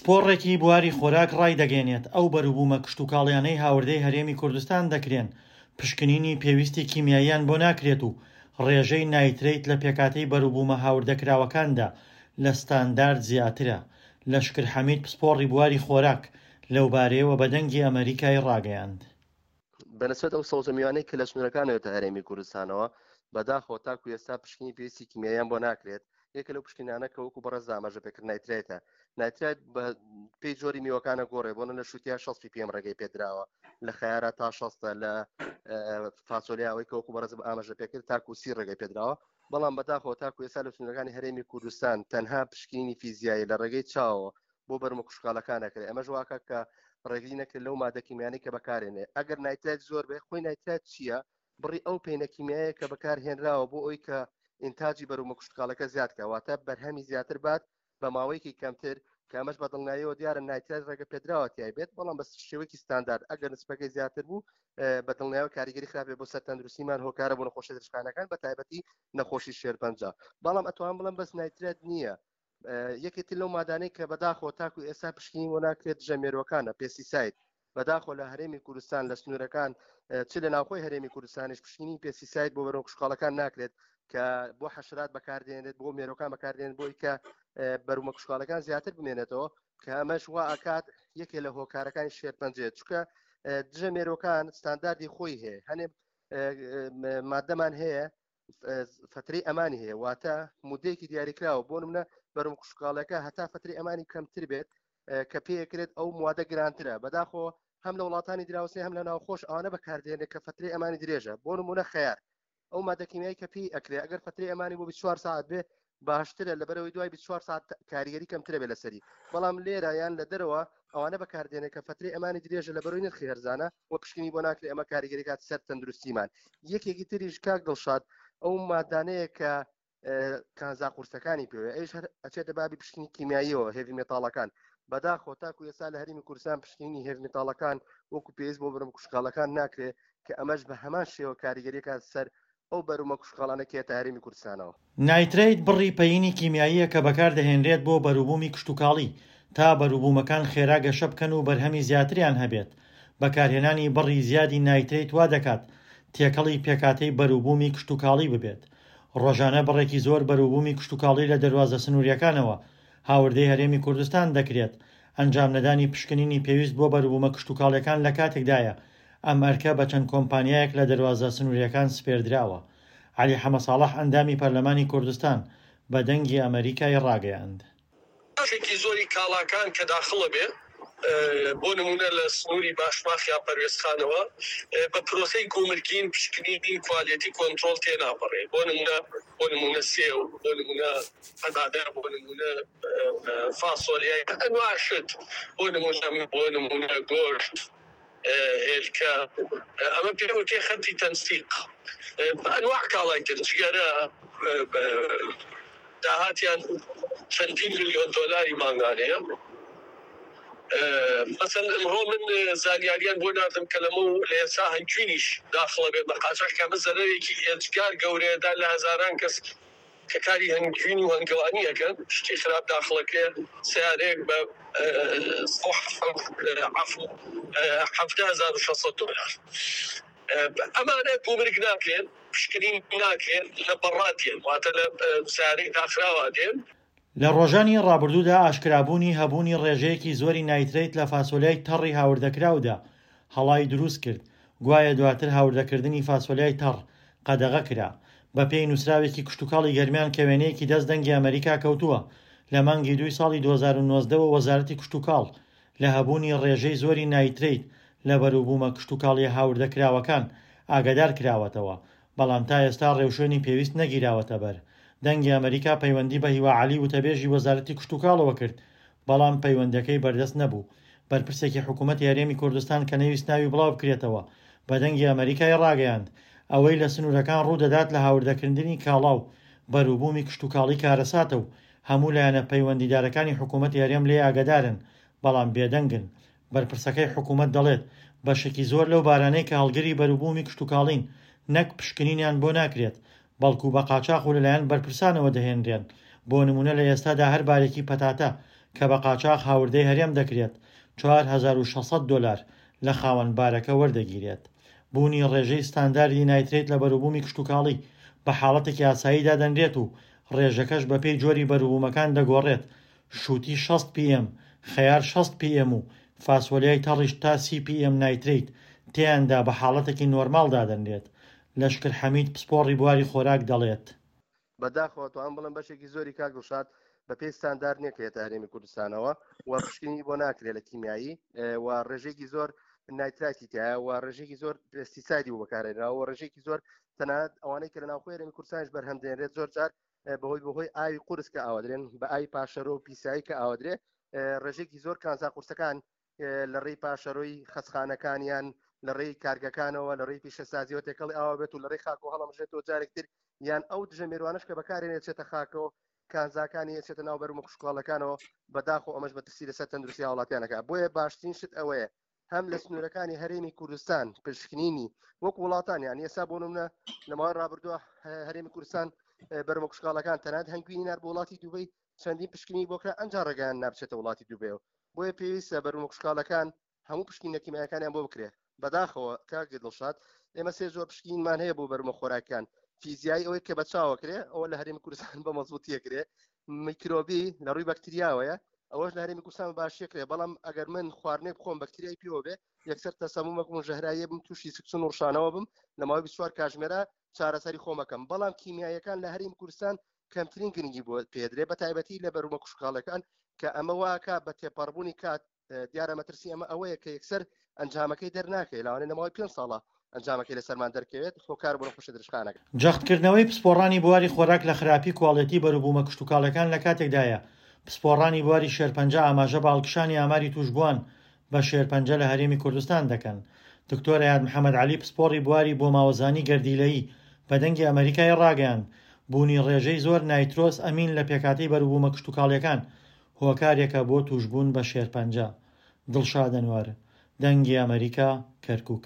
پسپۆڕێکی بواری خۆراک ڕایدەگەیەنێت، ئەو بەروبوومە کشتوکاڵیانەی هاوردەی هەرێمی کوردستان دەکرێن، پشکنینی پێویستی کیمیاییان بۆ ناکرێت و ڕێژەی نایترەیت لە پێکهاتەی بەروبوومە هاوردەکراوەکاندا لە ستاندارد زیاترە. لەشکر حەمید پسپۆڕی بواری خۆراک لەوبارەیەوە بە دەنگی ئەمەریکای ڕاگەیاند. بەنسبەت ئەو سەوزە میوانەی کە لە سنوورەکانەوە تا هەرێمی کوردستانەوە، بەداخەوە تاکو ئێستا پشکنی پێویستی کیمیاییان بۆ ناکرێت. یەکە لەو پشکنینانە کە وەکو بەڕێز ئاماژە پێکرد نایترایتە. نایترایت بە پێی جۆری میوەکانە گۆڕێ، بۆ نە لە شووتیا 60 ppm ڕێگەی پێدراوە، لە خەیارە تا 60، لە فاسۆلیا ئەوەی کە وەکو بەڕێز ئاماژە پێکرد تاکو 30 ڕێگەی پێدراوە. بەڵام بەداخەوە تاکو ئێستا لە سنوورەکانی هەرێمی کوردستان تەنها پشکنینی فیزیایی لە ڕێگەی چاوەوە بۆ بەرمە کوشکالەکان نەکرێت، ئەمەش واکە کە ڕێگری نەکرێت لەو مادە کیمیانەی کە بەکارێنێ. ئەگەر نایترایت زۆر بێ، خۆی نایترایت چییە؟ بڕی ئەو پەینە کیمیایە کە بەکار هێنراوە بۆ ئەوی کە ئینتاجی بەرومە کوشتکاڵەکە زیاد کە، واتە بەرهەمی زیاتر بات بە ماوەیەکی کەمتر، کە ئەمەش بە دڵنیاییەوە دیارە نایترایت ڕێگە پێدراوە تیای بێت، بەڵام بە شێوەیەکی ستاندارد ئەگەر نسبەکەی زیاتر بوو بە دڵنیایەوە کاریگەری خراپێ بۆ سەر تەندروستیمان، هۆکارە بۆ نەخۆشی درێژخایەنەکان بە تایبەتی نەخۆشی شێرپەنجە. بەڵام ئەتوانم بڵێم بەس نایترایت نییە، یەکێتی لەو مادانەی کە بەداخەوە تاکو ئێستا پشکنین بۆ ناکرێت دژە مێروەکانە، پێسیساید. بەداخەوە لە هەرێمی کوردستان لە سنوورەکان چ لە ناوخۆی هەرێمی کوردستانیش پشکنینی پێسیساید بۆ بەرەو کشتوکاڵەکان ناکرێت کە بۆ حەشرات بەکاردێنێت، بۆ مێرۆکان بەکاردێن بۆی کە بەرومە کشتوکاڵەکان زیاتر بمێنێتەوە، کە ئەمەش وا ئەکات یەکێ لە هۆکارەکانی شێرپەنجێت، چونکە دژە مێرۆکان ستانداردی خۆی هەیە. هەنێ مادەمان هەیە فترەی ئەمانی هەیە، واتە مدەیەکی دیاریکراوە، بۆ نمونە بەرم کشتوکاڵەکە هەتا فترەی ئەمانی کەمتر بێت کە پێکرێت ئەو موادە گرانترە. بەداخۆ هەم لە وڵاتانی دراوسێ هەم لە ناوخۆش ئەوانە بەکاردێنێت کە فترەی ئەمانی درێژە. بۆ نمونە خەیار، ئەو مادە کیمیایی کە پێی ئەکرێ ئەگەر فترەی ئەمانی بۆ 24 ساعت بێ باشترە، لەبەرەوەی دوای 24 ساعت کاریگەری کەمترە بێ لەسەری. بەڵام لێرە یان لە دەرەوە ئەوانە بەکاردێنێت کە فترەی ئەمانی درێژە، لەبەرەوەی نرخی هەرزانە و پشکنی بۆ ناکرێت، ئەمە کاریگەری کات سەر تەندروستیمان. یەکێکی تریش کاک دڵشاد ئەو مادانەیە کە کانزا قورسەکانی پێوێ، ئەویش هەر ئەچێتە بابی پشکنی کیمیاییەوە، هێڤی مێتاڵەکان. بەداخەوە تاکو ئێستا لە هەرێمی کوردستان پشکنینی هێڤی مێتاڵەکان وەکو پێویست بۆ بەرەم کوشکاڵەکان ناکرێت، کە ئەمەش بە هەمان شێوە کاریگەریەکە سەر ئەو بەرومە کوشکاڵانە کە یەتە هەرێمی کوردستانەوە. نایترەیت بڕی پەیینی کیمیاییە کە بەکاردەهێنرێت بۆ بەروبوومی کشتوکاڵی تا بەروبوومەکان خێرا گەشە بکەن و بەرهەمی زیاتریان هەبێت. بەکارهێنانی بڕی زیادی نایترەیت وا دەکات تێکەڵی پێکهاتەی بەروبوومی کشتوکاڵی ببێت. ڕۆژانە بڕێکی زۆر بەروبوومی کشتوکاڵی لە دەروازە سنوورییەکانەوە هاوردەی هەرێمی کوردستان دەکرێت. ئەنجامنەدانی پشکنینی پێویست بۆ بەروبوومە کشتوکاڵییەکان لەکاتێکدایە ئەم ئەرکە بە چەند کۆمپانیایەک لە دەروازە سنوورییەکان سپێردراوە. عەلی حەمەساڵح ئەندامی پەرلەمانی کوردستان بە دەنگی ئەمەریکای ڕاگەیاند. بەشێکی زۆری کاڵاکان کە داخڵە بێ بۆ نموونە لە سنووری باشماخ یا پەروێزخانەوە بە پرۆسەی گومرگین پشکنین کوالێتی کۆنترۆڵ تێناپەڕێ بۆ نموونە بۆ نموونە سێو بۆ نموونە پەتاتە بۆ نموونە فاسۆلیای ئەنواع شت بۆ نموونە بۆ نموونە گۆشت هێلکە ئەمە پێ وتێ خەتی تەنسیق ئەنواع کاڵای تر جگەرە داهاتیان چەندین ملیۆن دۆلاری مانگانەیە. مەسەن ئمڕۆ من زانیاریان بۆ ناردم کە لەمە و لە ئێستا هەنگوینیش داخڵە بێت بە قاچاخ کە ئەمە زەرەرێکی ئێجگار گەورەیە دا لە هەزاران کەس کە کاری هەنگوین و هەنگەوانی ئەکەن شتی خراپ داخڵەکرێ سەیارەیەک بە عەفو 17600 دۆلار ئەمانە گومرگ ناکرێن پشکنین ناکرێن لە بەڕا دێن واتە لە سەیارەی داخراوە دێن. لە ڕۆژانی ڕابردوودا ئاشکرابوونی هەبوونی ڕێژەیەکی زۆری نایترەیت لە فاسۆلیای تەڕی هاوردەکراودا هەڵای دروست کرد، گوایە دواتر هاوردەکردنی فاسۆلیای تەڕ قەدەغە کرا. بەپێی نووسراوێکی کشتوکاڵی گەرمیان کە وێنەیەکی دەست دەنگی ئەمەریکا کەوتووە، لە مانگی دووی ساڵی 2019 وە وەزارەتی کشتوکاڵ لە هەبوونی ڕێژەی زۆری نایترەیت لە بەروبوومە کشتوکاڵییە هاوردەکراوەکان ئاگادار کراوەتەوە، بەڵام تا ئێستا ڕێوشوێنی پێویست نەگیراوەتەبەر. دەنگی ئەمەریکا پەیوەندی بە هیوا عەلی وتەبێژی وەزارەتی کشتوکاڵەوە کرد، بەڵام پەیوەندیەکەی بەردەست نەبوو. بەرپرسێکی حکومەتی هەرێمی کوردستان کە نەیویست ناوی بڵاوبکرێتەوە بە دەنگی ئەمەریکای ڕاگەیاند، ئەوەی لە سنوورەکان ڕوودەدات لە هاوردەکردنی کاڵا و بەروبوومی کشتوکاڵی کارەساتە و هەموو لایەنە پەیوەندیدارەکانی حکومەتی هەرێم لێی ئاگادارن، بەڵام بێدەنگن. بەرپرسەکەی حکومەت دەڵێت، بەشێکی زۆر لەو بارانەی کە هەڵگری بەروبوومی کشتوکاڵین، نەک پشکنینیان بۆ ناکرێت، بەڵکو بە قاچاخ و لەلایەن بەرپرسانەوە دەهێنرێن، بۆ نموونە لە ئێستادا هەر بارێکی پەتاتە کە بە قاچاخ هاوردەی هەرێم دەکرێت، 4600 دۆلار لە خاوەن بارەکە وەردەگیرێت. بوونی ڕێژەی ستانداردی نایترەیت لە بەروبوومی کشتوکاڵی بە حاڵەتێکی ئاسایی دادەنرێت و ڕێژەکەش بەپێی جۆری بەروبوومەکان دەگۆڕێت، شووتی 60 PM، خەیار 60 PM و فاسۆلیای تەڕیش تا 30 PM نایترەیت تێیاندا بە حاڵەتێکی نۆرماڵ دادەنرێت. لەشکر حەمید پسپۆڕی بواری خۆراک دەڵێت. بەداخەوە توانم بڵێم بەشێکی زۆری کاک دڵشاد بە پێی ستاندارد نییە کە یەتە هەرێمی کوردستانەوە و پشکنینی بۆ ناکرێت لە کیمیایی و ڕێژەیەکی زۆر نایتراتی تایە و ڕێژێکی زۆر پێستیسایدی بۆ بەکارهێنراوە و ڕێژێکی زۆر تەنانەت ئەوانەی کە لە ناوخۆی هەرێمی کوردستانیش بەرهەم دێنرێت زۆر جار بەهۆی بەهۆی ئاوی قورس کە ئاوادرێن بە ئاوی پاشەرۆ و پیسایی کە ئاوادرێ ڕێژێکی زۆر کانزا قورسەکان لە ڕێی پاشەرۆی خەسخانەکانیان لە ڕێی کارگەکانەوە لە ڕێی پیشەسازیەوە تێکەڵی ئاوا بێت و لە ڕێی خاک و هەڵەمژێتەوە جارێکتر یان ئەو دژە مێروانش کە بەکارێنێت چێتە خاکەوە کانزاکانی ئەچێتە ناو بەرومە کشتوکاڵەکانەوە، بەداخەوە ئەمەش مەترسی لەسەر تەندروستی هاوڵاتیان ئەکات، بۆیە باشترین شت ئەوەیە هەم لە سنوورەکانی هەرێمی کوردستان پشکنینی وەک وڵاتان یان ئێستا بۆ نمونە لە ماوەی ڕابردووە هەرێمی کوردستان بەرمە کشتوکاڵەکان تەنانەت هەنگوینی نار بۆ وڵاتی دوبەی چەندین پشکنینی بۆ کرا ئەنجا ڕێگەیان نابچێتە وڵاتی دوبەیەوە بۆیە پێویستە بەرومە کشتوکاڵەکان هەموو پشکینە کیمیایەکانیان بۆ بکرێ بەداخەوە کاک دڵشاد ئێمە سێ زۆر پشکینمان هەیە بۆ بەرمە خۆراکیان فیزیایی ئەوەی کە بە چاوە کرێ ئەوە لە هەرێمی کوردستان بە مەزبوتیە کرێ میکرۆبی لە ڕووی بەکتریاوەیە ئەوەش لە هەرێمی کوردستان باشیە کرێ بەڵام ئەگەر من خواردنێک بخۆم بەکتریای پێوە بێ یەکسەر تەسەمومەک و ژەهراییە بم تووشی سکچون و ڕشانەوە بم لە ماوەی 24 کاژمێرە چارەسەری خۆمەکەم بەڵام کیمیاییەکان لە هەرێمی کوردستان کەمترین گرنگی بۆ پێدرێ بە تایبەتی لە بەرومە کوشکاڵەکان کە ئەمە واکە بە تێپەڕبوونی کات دیارە مەترسی ئەمە ئەوەیە کە یەکسەر ئەنجامەکەی دەرناکەوێت لەوانەیە لە ماوەی پێنج ساڵە ئەنجامەکەی لەسەرمان دەرکەوێت هۆکار بۆ نەخۆشیە درێژخایەنەکە. جەختکردنەوەی پسپۆڕانی بواری خۆراک لە خراپی کواڵێتی بەروبوومە کشتوکاڵیەکان لە کاتێکدایە، پسپۆڕانی بواری شێرپەنجە ئاماژە بە هەڵکشانی ئاماری تووشبووان بە شێرپەنجە لە هەرێمی کوردستان دەکەن. دکتۆر ئەیاد محەمەد عەلی پسپۆڕی بواری بۆماوەزانی گەردیلەیی بە دەنگی ئەمەریکای ڕاگەیاند، بوونی ڕێژەی زۆر نایترۆس ئەمین لە پێکهاتەی بەروبوومە کشتوکاڵیەکان هۆکارێکە بۆ تووشبوون بە شێرپەنجە. دڵشاد ئەنوەر، دەنگی ئەمەریکا، کەرکوک.